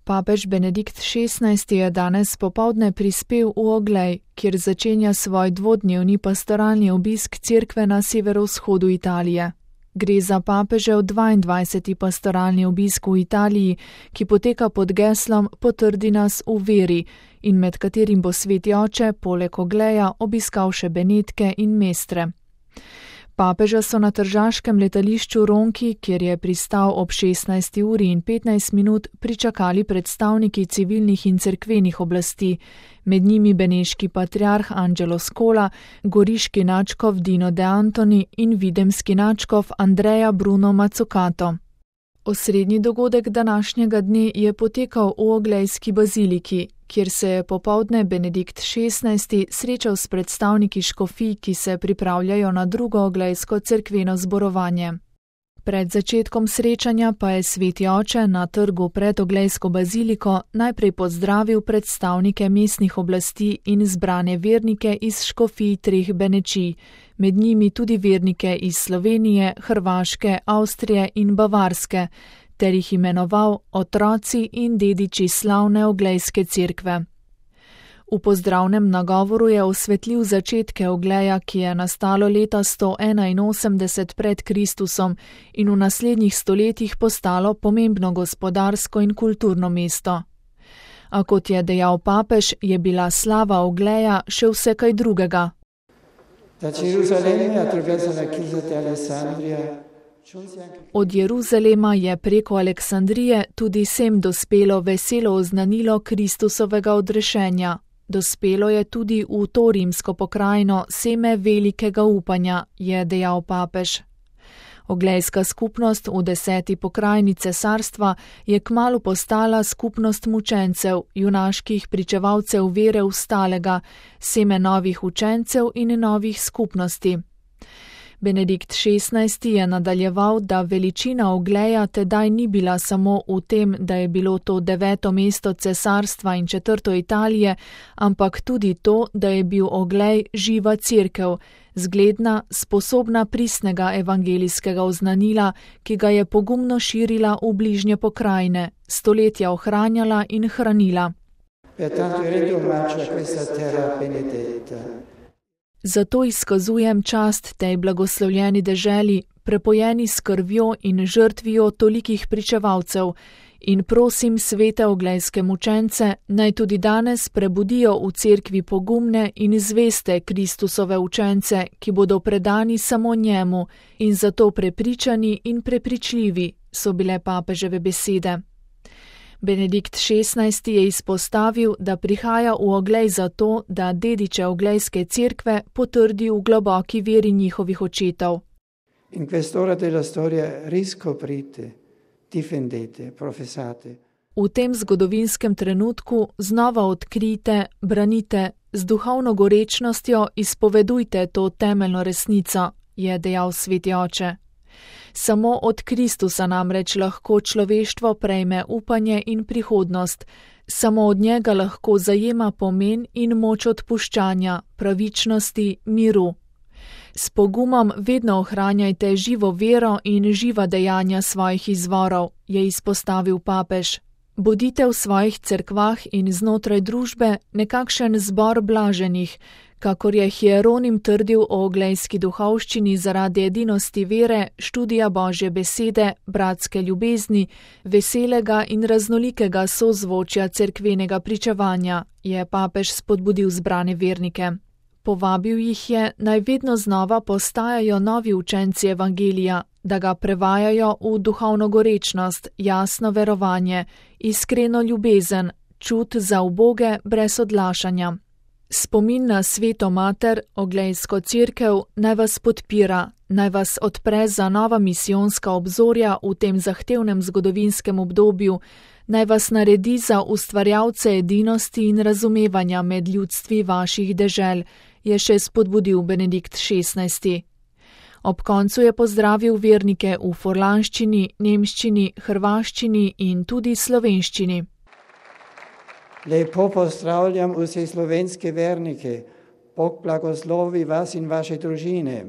Papež Benedikt XVI je danes popoldne prispel v Oglej, kjer začenja svoj dvodnevni pastoralni obisk cerkve na severovzhodu Italije. Gre za papežev 22. pastoralni obisk v Italiji, ki poteka pod geslom Potrdi nas v veri in med katerim bo Sveti oče poleg Ogleja obiskal še Benetke in Mestre. Papeža so na tržaškem letališču Ronchi, kjer je pristal ob 16:15, pričakali predstavniki civilnih in cerkvenih oblasti, med njimi beneški patriarh Angelo Scola, goriški nadškof Dino De Antoni in videmski nadškof Andrea Bruno Mazzucato. Osrednji dogodek današnjega dne je potekal v Oglejski baziliki, kjer se je popoldne Benedikt XVI srečal s predstavniki škofij, ki se pripravljajo na drugo oglejsko cerkveno zborovanje. Pred začetkom srečanja pa je Sveti oče na trgu pred Oglejsko baziliko najprej pozdravil predstavnike mestnih oblasti in zbrane vernike iz škofij treh benečij, med njimi tudi vernike iz Slovenije, Hrvaške, Avstrije in Bavarske, ter jih imenoval otroci in dediči slavne Oglejske cerkve. V pozdravnem nagovoru je osvetlil začetke Ogleja, ki je nastalo leta 181 pred Kristusom in v naslednjih stoletjih postalo pomembno gospodarsko in kulturno mesto. A kot je dejal papež, je bila slava Ogleja še vse kaj drugega. Od Jeruzalema je preko Aleksandrije tudi sem dospelo veselo oznanilo Kristusovega odrešenja. Dospelo je tudi v to rimsko pokrajino seme velikega upanja, je dejal papež. Oglejska skupnost v 10. pokrajini cesarstva je kmalu postala skupnost mučencev, junaških pričevalcev vere vstalega, seme novih učencev in novih skupnosti. Benedikt XVI je nadaljeval, da veličina Ogleja tedaj ni bila samo v tem, da je bilo to 9. mesto cesarstva in 4. Italije, ampak tudi to, da je bil Oglej živa cerkev, zgledna, sposobna pristnega evangelijskega oznanila, ki ga je pogumno širila v bližnje pokrajine, stoletja ohranjala in hranila. Zato izkazujem čast tej blagoslovljeni deželi, prepojeni s krvjo in žrtvijo tolikih pričevalcev, in prosim svete oglejske mučence, naj tudi danes prebudijo v cerkvi pogumne in zveste Kristusove učence, ki bodo predani samo njemu in zato prepričani in prepričljivi, so bile papeževe besede. Benedikt XVI je izpostavil, da prihaja v Oglej zato, da dediče Oglejske cerkve potrdi v globoki veri njihovih očetov. In quest'ora della storia riscoprite, difendete, professate. V tem zgodovinskem trenutku znova odkrijte, branite, z duhovno gorečnostjo izpovedujte to temeljno resnico, je dejal Sveti oče. Samo od Kristusa namreč lahko človeštvo prejme upanje in prihodnost, samo od njega lahko zajema pomen in moč odpuščanja, pravičnosti, miru. S pogumom vedno ohranjajte živo vero in živa dejanja svojih izvorov, je izpostavil papež. Bodite v svojih cerkvah in znotraj družbe nekakšen zbor blaženih, kakor je Hieronim trdil o oglejski duhovščini zaradi edinosti vere, študija Božje besede, bratske ljubezni, veselega in raznolikega sozvočja cerkvenega pričevanja, je papež spodbudil zbrane vernike. Povabil jih je, naj vedno znova postajajo novi učenci evangelija, da ga prevajajo v duhovno gorečnost, jasno verovanje, iskreno ljubezen, čut za uboge brez odlašanja. Spomin na Sveto Mater, Oglejsko cerkev, naj vas podpira, naj vas odpre za nova misijonska obzorja v tem zahtevnem zgodovinskem obdobju, naj vas naredi za ustvarjalce edinosti in razumevanja med ljudstvi vaših dežel, je še spodbudil Benedikt XVI. Ob koncu je pozdravil vernike v furlanščini, nemščini, hrvaščini in tudi slovenščini. Lepo pozdravljam vse slovenske vernike. Bog blagoslovi vas in vaše družine.